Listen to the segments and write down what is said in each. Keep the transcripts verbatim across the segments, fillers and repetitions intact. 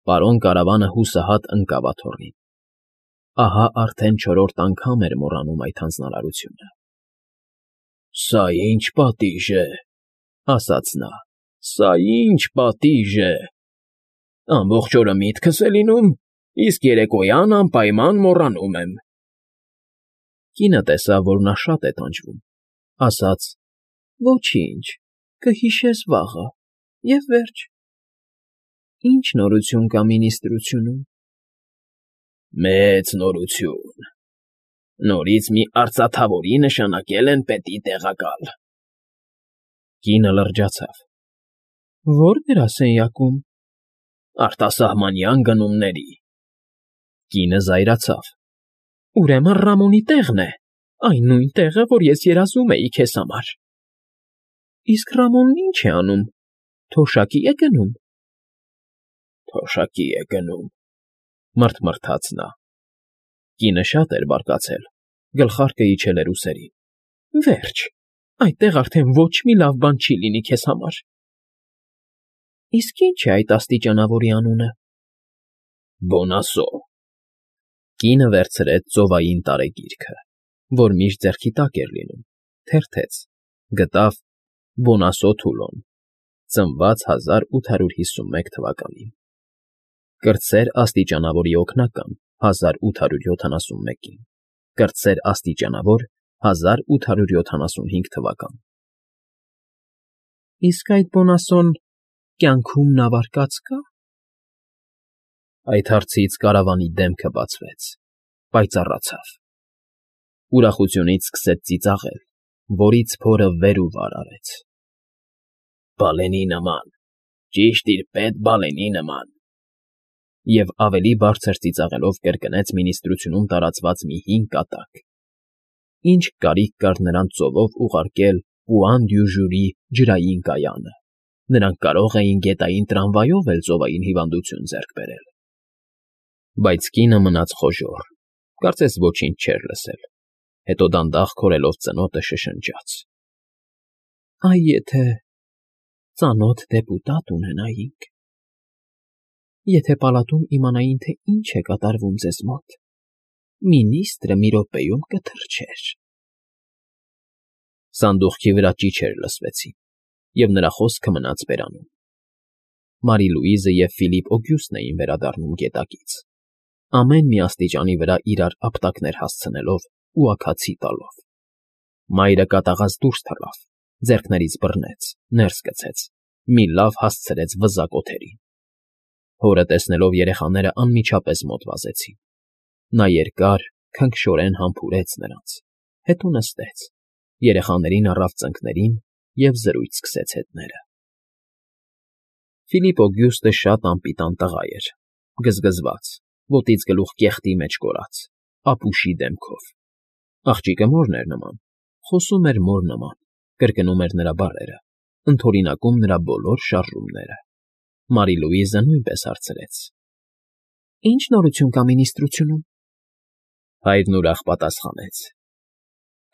Պարոն Կարավանը հուսահատ ընկավ աթոռին. ահա արդեն չորրորդ անգամ էր մոռանում այդ հանձնարարությունը։ ֊ Սա ի՞նչ պատիժ է,֊ ասաց նա,֊ սա ի՞նչ պատիժ է… Ամբողջ օրը միտքս է լինում, իսկ երեկոյան անպայման մոռանում եմ… Կինը տեսավ, որ նա շատ է տանջվում, ասաց. «Ոչինչ, կհիշես վաղը, և վերջ»։ ֊ Ի՞նչ նորություն կա մինիստրությունում։ ֊ Մեծ նորություն… Նորից մի արծաթավորի նշանակել են պետի տեղակալ… Կինը լրջացավ. «Ո՞ր գրասենյակում։ ֊ Արտասահմանյան գնումների… Կինը զայրացավ. «Ուրեմն Ռամոնի տեղն է, այն նույն տեղը, որ ես երազում էի քեզ համար… Իսկ Ռամոնն ի՞նչ է անում, թոշակի՞ է գնում։ ֊ Թոշակի է գնում,֊ մռթմռթաց նա… Կինը շատ էր բարկացել, գլխարկը իջել էր ուսերին։ ֊ Վերջ, այդտեղ արդեն ոչ մի լավ բան չի լինի քեզ համար… Իսկ ի՞նչ է այդ աստիճանավորի անունը։ ֊ Բոնասո… Կինը վերցրեց ծովային տարեգիրքը, որ միշտ ձեռքի տակ էր լինում, թերթեց, գտավ Բոնասո Թուլոն, ծնված հազար ութ հարյուր հիսունմեկ թվականին, կրտսեր աստիճանավորի օգնական հազար ութ հարյուր յոթանասունմեկին, կրտսեր աստիճանավոր հազար ութ հարյուր յոթանասունհինգ թվական… Իսկ այդ Բոնասոն կյանքում նավարկած կա՞։ Այդ հարցից Կարավանի դեմքը բացվեց, պայծառացավ, ուրախությունից սկսեց ծիծաղել, որից փորը վեր ու վար արեց։ ֊ Բալենի նման, ճիշտ իր պետ Բալենի նման… Եվ ավելի բարձր ծիծաղելով կրկնեց մինիստրությունում տարածված մի հին կատակ. ինչ կարիք կար նրան ծովով ուղարկել Պուան֊դյու֊Ժյուրի ջրային կայանը, նրանք կարող էին գետային տրամվայով էլ ծովային հիվանդություն ձեռք բերել… Բայց կինը մնաց խոժոռ, կարծես ոչինչ չէր լսել, հետո դանդաղ քորելով ծնոտը շշնջաց. Այ եթե ծանոթ դեպուտատ ունենայինք… Եթե պալատում իմանային, թե ինչ է կատարվում ձեզ մոտ, մինիստրը մի րոպեում կթռչեր… Սանդուղքի վրա ճիչեր լսվեցին, և նրա խոսքը մնաց բերանում… Մարի Լուիզը և Ֆիլիպ Օգյուստն էին վերադառնում գետակից, ամեն մի աստիճանի վրա իրար ապտակներ հասցնելով ու աքացի տալով… Մայրը կատաղած դուրս թռավ, ձեռքներից բռնեց, ներս գցեց, մի լավ հասցրեց վզակ օդերին… Հորը տեսնելով երեխաները անմիջապես մոտ վազեցին… Նա երկար, քնքշորեն համբուրեց նրանց, հետո նստեց, երեխաներին առավ ծնկներին և զրույց սկսեց հետները… Ֆիլիպ Օգյուստը շատ անպիտան տղա էր, գզգզված, ոտից գլուխ կեղտի մեջ կորած, ապուշի դեմքով… Աղջիկը մորն էր նման, խոսում էր մոր նման, կրկնում էր նրա բառերը, ընդօրինակում նրա բոլոր շարժումները… Մարի Լուիզը նույնպես հարցրեց. Ի՞նչ նորություն կա մինիստրությունում։ Հայրն ուրախ պատասխանեց.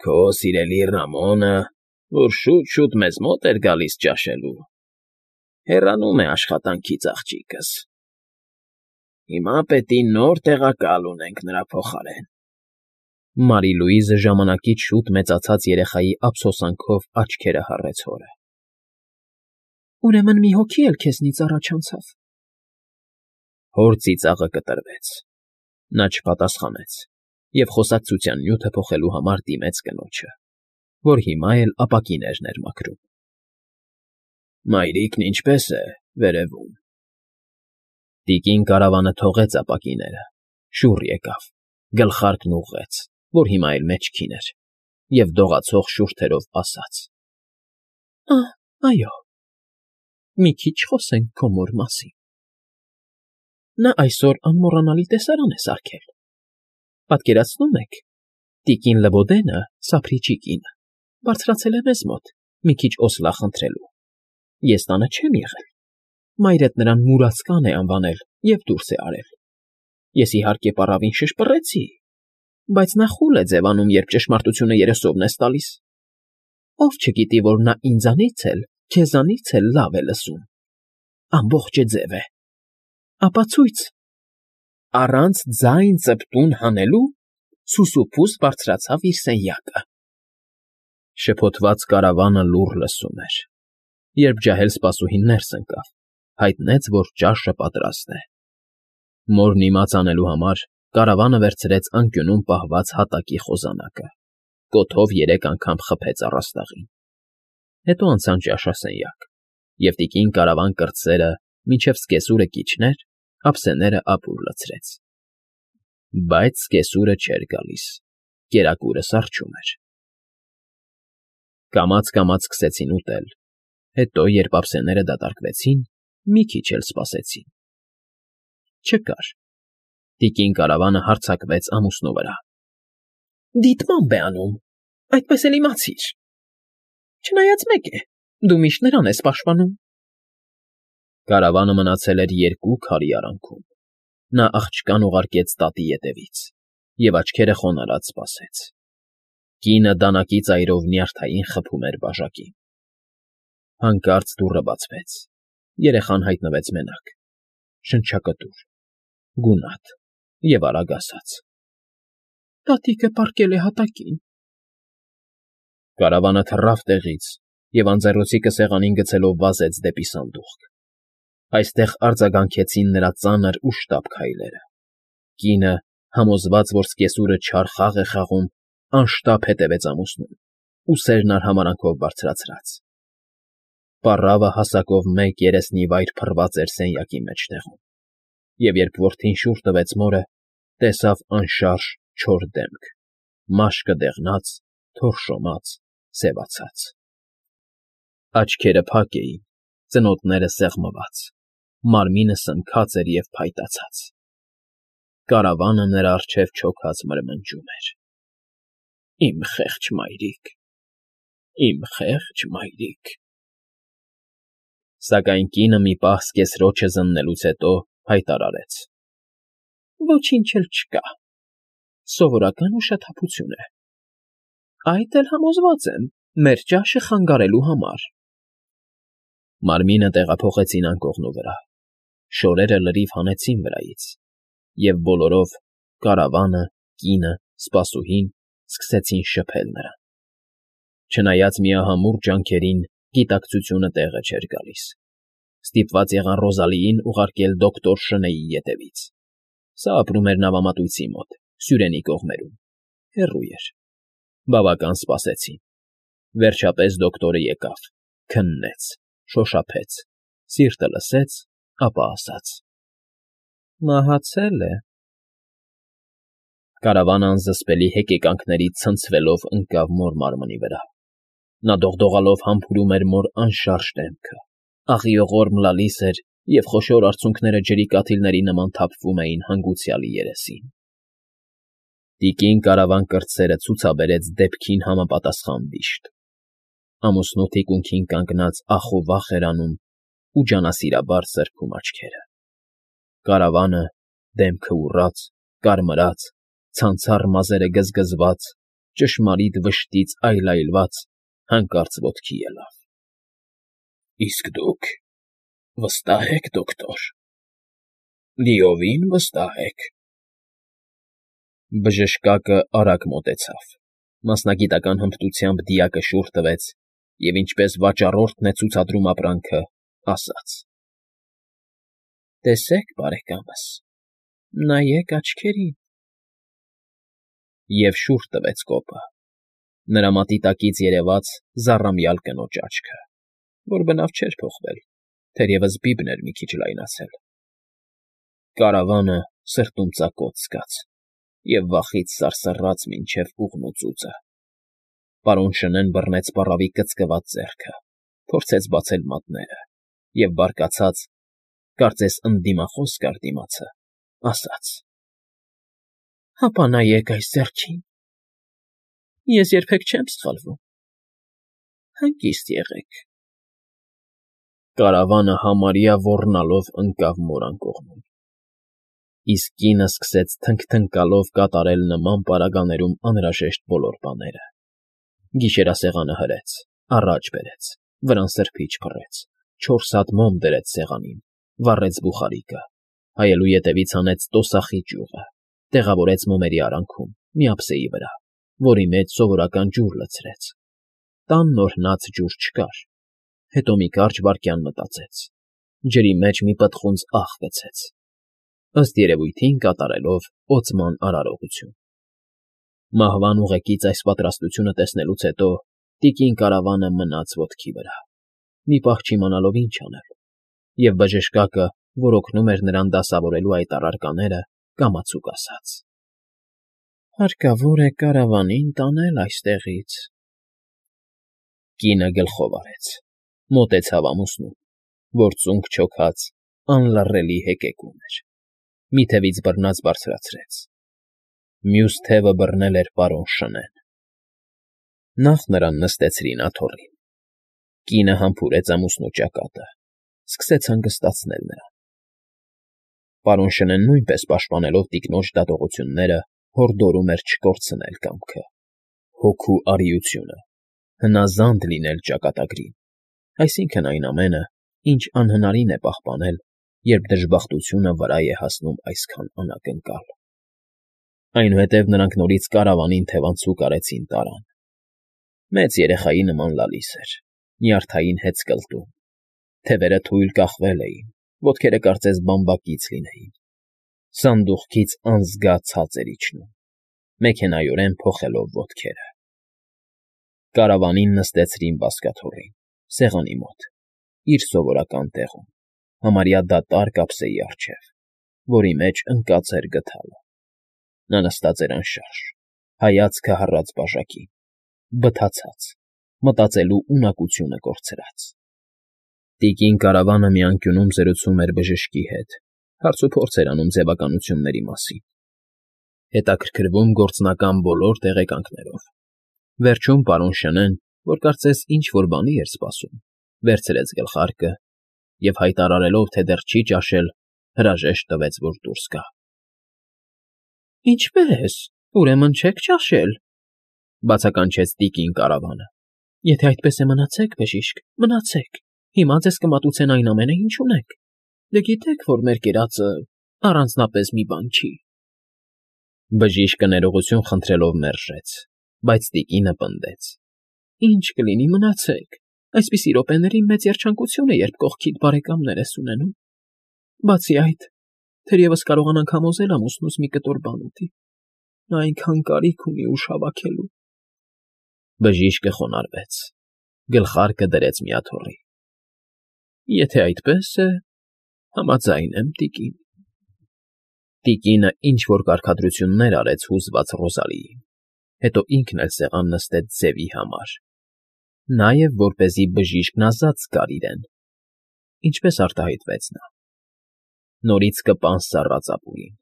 Քո սիրելի Ռամոնը, որ շուտ֊շուտ մեզ մոտ էր գալիս ճաշելու, հեռանում է աշխատանքից աղջիկս… Հիմա պետք է նոր տեղակալ ունենք նրա փոխարեն… Մարի Լուիզը ժամանակից շուտ մեծացած երեխայի ափսոսանքով աչքերը հառեց հորը։ Ուրեմն մի հոգի էլ քեզնից առաջ անցավ… Հոր ծիծաղը կտրվեց, նա չպատասխանեց և խոսակցության նյութը փոխելու համար դիմեց կնոջը, որ հիմա էլ ապակիներն էր մաքրում։ Մայրիկն ինչպե՞ս է, վերևում… Տիկին Կարավանը թողեց ապակիները, շուռ եկավ, գլխարկն ուղղեց, որ հիմա էլ մեջքին էր, և դողացող շուրթերով ասաց. Ա՛, այո, մի քիչ խոսենք քո մոր մասին… Նա այսօր անմոռանալի տեսարան է սարքել… Պատկերացնո՞ւմ եք, տիկին Լվոդենը, Սափրիչի կինը, բարձրացել է մեզ մոտ, մի քիչ օսլա խնդրելու… Ես տանը չեմ եղել, մայրդ նրան մուրացկան է անվանել և դուրս է արել… Ես, իհարկե, պառավին շշպռեցի, բայց նա խուլ է ձևանում, երբ ճշմարտությունը երեսովն ես տալիս… Ով չգիտի, որ նա ինձանից էլ, քեզանից էլ լավ է լսում… Ամբողջը ձև է… ապացույց։ Առանց ձայն ծպտուն հանելու սուսուփուս բարձրացավ իր սենյակը։ Շփոթված կարավանը լուռ լսում էր։ Երբ ջահել սպասուհին ներս ընկավ, հայտնեց, որ ճաշը պատրաստ է։ Մորն իմաց անելու համար կարավանը վերցրեց անկյունում պահված հատակի խոզանակը, կոթով երեք անգամ խփեց առաստաղին։ Հետո անցան ճաշասենյակ, և տիկին կարավան կրտսերը մինչև սկեսուրը կիջներ, ափսեները ապուր լցրեց։ Բայց սկեսուրը չէր գալիս, կերակուրը սառչում էր։ Կամաց֊կամաց սկսեցին ուտել, հետո, երբ ափսեները դատարկվեցին, մի քիչ էլ սպասեցին։ Չկար։ Տիկին կարավանը հարձակվեց ամուսնու վրա։ Դիտմամբ է անում, այդպես էլ իմացիր։ Չնայած մեկ է, դու միշտ նրան ես պաշտպանում։ Կարավանը մնացել էր երկու քարի արանքում։ Նա աղջկան ուղարկեց տատի ետևից և աչքերը խոնարհած սպասեց։ Կինը դանակի ծայրով նյարդային խփում էր բաժակին։ Հանկարծ դուռը բացվեց։ Երեխան հայտնվեց մենակ, շնչակտուր, գունատ և արագ ասաց. Տատիկը պառկել է հատակին։ Կարավանը թռավ տեղից և անձեռնոցիկը սեղանին գցելով վազեց դեպի սանդուղք։ Այստեղ արձագանքեցին նրա ծանր ու շտապ քայլերը։ Կինը, համոզված, որ սկեսուրը չար խաղ է խաղում, անշտապ հետևեց ամուսնուն, ուսերն արհամարհանքով բարձրացրած։ Պառավը հասակով մեկ երեսնիվայր փռված էր սենյակի մեջտեղում, և երբ որդին շուռ տվեց մորը, տեսավ անշարժ չոր դեմք, մաշկը դեղնած, թորշոմած, սևացած։ Աչքերը փակ էին, ծնոտները սեղմված, մարմինը սնքած էր և փայտացած։ Կարավանը նրա առջև չոքած մրմնջում էր. Իմ խեղճ մայրիկ, իմ խեղճ մայրիկ… Սակայն կինը մի պահ սկեսրոջը զննելուց հետո հայտարարեց. Ոչինչ էլ չկա, սովորական ուշաթափություն է։ Այդ էլ համոզված եմ, մեր ճաշը խանգարելու համար։ Մարմինը տեղափոխեցին անկողնու վրա, շորերը լրիվ հանեցին վրայից, և բոլորով՝ կարավանը, կինը, սպասուհին սկսեցին շփել նրան։ Չնայած միահամուռ ջանքերին, գիտակցությունը տեղը չէր գալիս։ Ստիպված եղան Ռոզալիին ուղարկել դոկտոր Շնեյի ետևից։ Սա ապրում էր նավամատույցի մոտ, Սյուրենի կողմերում, հեռու էր։ Բավական սպասեցին։ Վերջապես դոկտորը եկավ, քննեց, շոշափեց, սիրտը լսեց, ապա ասաց. Մահացել է։ Կարավանը անզսպելի հեկեկանքներից ցնցվելով ընկավ մոր մարմնի վրա։ Նա դողդողալով համբուրում էր մոր անշարժ դեմքը, աղիողորմ լալիս էր, և խոշոր արցունքները ջրի կաթիլների նման թափվում էին հանգուցյալի երեսին։ Տիկին կարավան կրտսերը ցուցաբերեց դեպքին համապատասխան վիշտ։ Ամուսնու թիկունքին կանգնած ախ ու վախ էր անում ու ջանասիրաբար սրբում աչքերը։ Կարավանը, դեմքը ուռած, կարմրած, ցանցառ մազերը գզգզված, ճշմարիտ վշտից այլայլված, հանկարծ ոտքի ելավ։ Իսկ դուք վստահ եք, դոկտոր, լիովին վստահ եք։ Բժշկակը արագ մոտեցավ, մասնագիտական հմտությամբ դիակը շուռ տվեց և, ինչպես վաճառորդն է ցուցադրում ապրանքը, ասաց. Տեսեք, բարեկամս, նայեք աչքերին… Եվ շուռ տվեց կոպը։ Նրա մատի տակից երևաց զառամյալ կնոջ աչքը, որ բնավ չէր փոխվել, թերևս բիբն էր մի քիչ լայնացել։ Կարավանը սրտում ծակոց զգաց և վախից սարսռաց մինչև ուղղնուծուծը։ Պարոն Շնեն բռնեց պառավի կծկված ձեռքը, փորձեց բացել մատները և բարկացած, կարծես ընդդիմախոս կար դիմացը, ասաց. Հապա նայեք այս ձեռքին… Ես երբեք չեմ սխալվում… Հանգիստ եղեք… Կարավանը համարյա ոռնալով ընկավ մոր անկողնում։ Իսկ կինը սկսեց թնգթնկալով կատարել նման պարագաներում անհրաժեշտ բոլոր բաները։ Գիշերասեղանը հրեց, առաջ բերեց, վրան սրբիչ փռեց, չորս հատ մոմ դրեց սեղանին, վառեց բուխարիկը, հայելու ետևից հանեց տոսախի ճյուղը, տեղավորեց մոմերի արանքում, մի ափսեի վրա, որի մեջ սովորական ջուր լցրեց։ Տան նորհնած ջուր չկար։ Հետո մի կարճ վայրկյան մտածեց, ջրի մեջ մի պտղունց աղ գցեց, ըստ երևույթին կատարելով օծման արարողություն։ Մահվան ուղեկից այս պատրաստությունը տեսնելուց հետո տիկին Կարավանը մնաց ոտքի վրա, մի պահ չիմանալով ինչ անել, և բժշկակը, որ օգնում էր նրան դասավորելու այդ առարկաները, կամացուկ ասաց. «Հարկավոր է Կարավանին տանել այստեղից»։ Կինը գլխով արեց, մոտեցավ ամուսնուն, որ ծունկ չոքած, անլռելի հեկեկում էր, մի թևից բռնած բարձրացրեց. մյուս թևը բռնել էր պարոն Շնեն։ Նախ նրան նստեցրին աթոռին։ Կինը համբուրեց ամուսնու ճակատը, սկսեց հանգստացնել նրան։ Պարոն Շնեն նույնպես պաշտպանելով տիկնոջ դատողությունները, հորդորում էր չկորցնել կամքը, հոգու արիությունը, հնազանդ լինել ճակատագրին, այսինքն այն ամենը, ինչ անհնարին է պահպանել, երբ դժբախտությունը վրա է հասնում այսքան անակնկալ։ Այնուհետև նրանք նորից Կարավանին թևանցուկ արեցին տարան։ Մեծ երեխայի նման լալիս էր, նյարդային հեծկլտում, թևերը թույլ կախվել էին, ոտքերը կարծես բամբակից լինեին, սանդուղքից անզգա ցած էր իջնում, մեքենայորեն փոխելով ոտքերը։ Կարավանին նստեցրին բազկաթոռին, սեղանի մոտ, իր սովորական տեղում, համարյա դատարկ ափսեի առջև, որի մեջ ընկած էր գդալը։ Նա նստած էր անշարժ, հայացքը հառած բաժակին, բթացած, մտածելու ունակությունը կորցրած։ Տիկին Կարավանը մի անկյունում զրուցում էր բժշկի հետ, հարցուփորձ էր անում ձևականությունների մասին, հետաքրքրվում գործնական բոլոր տեղեկանքներով։ Վերջում պարոն Շնեն, որ կարծես ինչ֊որ բանի էր սպասում, վերցրեց գլխարկը և, հայտարարելով, թե դեռ չի ճաշել, հրաժեշտ տվեց, որ դուրս գա։ «Ինչպե՞ս, ուրեմն չեք ճաշել,֊ բացականչեց տիկին Կարավանը։ Եթե այդպես է, մնացեք, բժիշկ, մնացեք, հիմա ձեզ կմատուցեն այն ամենը, ինչ ունեք։ Դե գիտեք, որ մեր կերածը առանձնապես մի բան չի»։ Բժիշկը ներողություն խնդրելով մերժեց, բայց տիկինը պնդեց. «Ինչ կլինի, մնացեք, այսպիսի րոպեներին մեծ երջանկություն է, երբ կողքիդ բարեկամներ ես ունենում։ Բացի այդ, թերևս կարողանանք համոզել ամուսնուս մի կտոր բան ուտի, նա այնքան կարիք ունի ուժ հավաքելու»։ Բժիշկը խոնարհվեց, գլխարկը դրեց մի աթոռի։ «Եթե այդպես է, համաձայն եմ, տիկին»։ Տիկինը ինչ֊որ կարգադրություններ արեց հուզված Ռոզալիին, հետո ինքն էլ սեղան նստեց ձևի համար, նաև որպեսզի բժիշկն ազատ զգար իրեն, ինչպես արտահայտվեց նա։ Նորից կպան սառած ապուրին։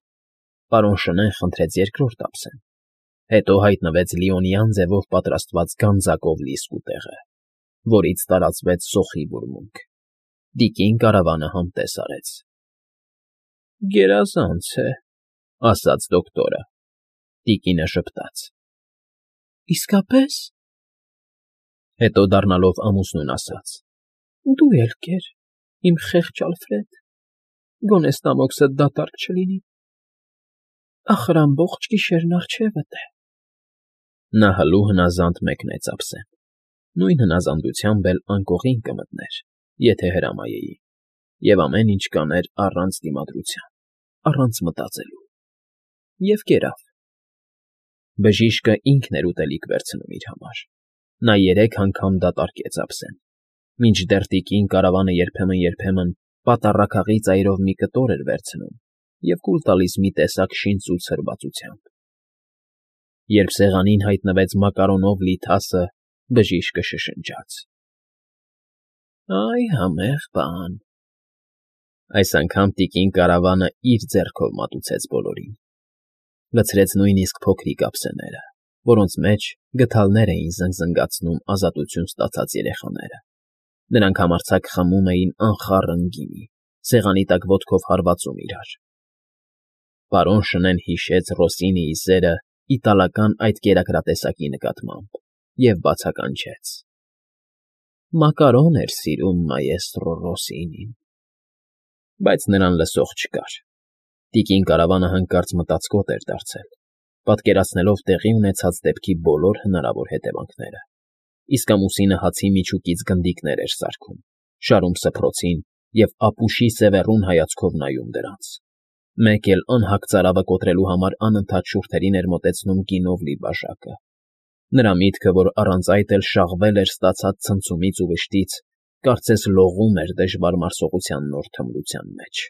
Պարոն Շնեն խնդրեց երկրորդ ափսեն, հետո հայտնվեց լիոնյան ձևով պատրաստված գանձակով լի սկուտեղը, որից տարածվեց սոխի բուրմունք։ Տիկին Կարավանը համտես արեց։ «Գերազանց է,֊ ասաց դոկտորը։ Տիկինը ժպտաց. «Իսկապե՞ս»։ Հետո դառնալով ամուսնուն ասաց. «Դու էլ կեր, իմ խեղճ Ալֆրեդ, գոնե ստամոքսդ դատարկ չլինի, ախր ամբողջ գիշերն առջևդ է»։ Նա հլու հնազանդ մեկնեց ափսեն, նույն հնազանդությամբ էլ անկողին կմտներ, եթե հրամայեին, և ամեն ինչ կաներ առանց դիմադրության, առանց մտածելու։ Եվ կերավ։ Բժիշկը ինքն էր ուտելիք վերցնում իր համար։ Նա երեք անգամ դատարկեց ափսեն, մինչդեռ տիկին Կարավանը երբեմն֊երբեմն պատառաքաղի ծայրով մի կտոր էր վերցնում և կուլ տալիս մի տեսակ շինծու ցրվածությամբ։ Երբ սեղանին հայտնվեց մակարոնով լի թասը, բժիշկը շշնջաց. «Այ համեղ բան»։ Այս անգամ տիկին Կարավանը իր ձեռքով մատուցեց բոլորին, լցրեց նույնիսկ փոքրիկ ափսեները, որոնց մեջ գդալներ էին զնգզնգացնում ազատություն ստացած երեխաները։ Նրանք համարձակ խմում էին անխառն գինի, սեղանի տակ ոտքով հարվածում իրար։ Պարոն Շնեն հիշեց Ռոսինիի սերը իտալական այդ կերակրատեսակի նկատմամբ և բացականչեց. «Մակարոն էր սիրում մայեստրո Ռոսինին»։ Բայց նրան լսող չկար։ Տիկին կարավանը հանկարծ մտածկոտ էր դարձել, պատկերացնելով տեղի ունեցած դեպքի բոլոր հնարավոր հետևանքները, իսկ ամուսինը հացի միջուկից գնդիկներ էր սարքում, շարում սփռոցին և ապուշի սևեռուն հայացքով նայում դրանց, մեկ էլ անհագ ծարավը կոտրելու համար անընդհատ շուրթերին էր մոտեցնում գինով լի բաժակը. նրա միտքը, որ առանց այդ էլ շաղվել էր ստացած ցնցումից ու վշտից, կարծես լողում էր դժվար մարսողության նոր թմրության մեջ։